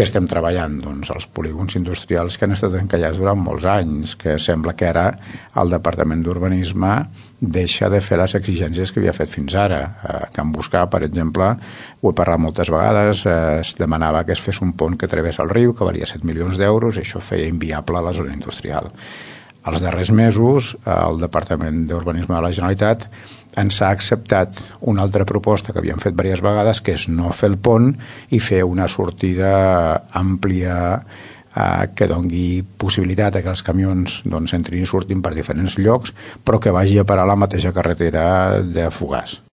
Què estem treballant? Doncs els polígons industrials que han estat encallats durant molts anys, que sembla que ara el Departament d'Urbanisme deixa de fer les exigències que havia fet fins ara. Can Buscar, per exemple, ho he parlat moltes vegades, es demanava que es fes un pont que través el riu, que valia 7 milions d'euros, i això feia inviable la zona industrial. Els darrers mesos, el Departament d'Urbanisme de la Generalitat ens ha acceptat una altra proposta que havíem fet diverses vegades, que és no fer el pont i fer una sortida àmplia que doni possibilitat que els camions entrin i surtin per diferents llocs, però que vagi a parar a la mateixa carretera de Fogars.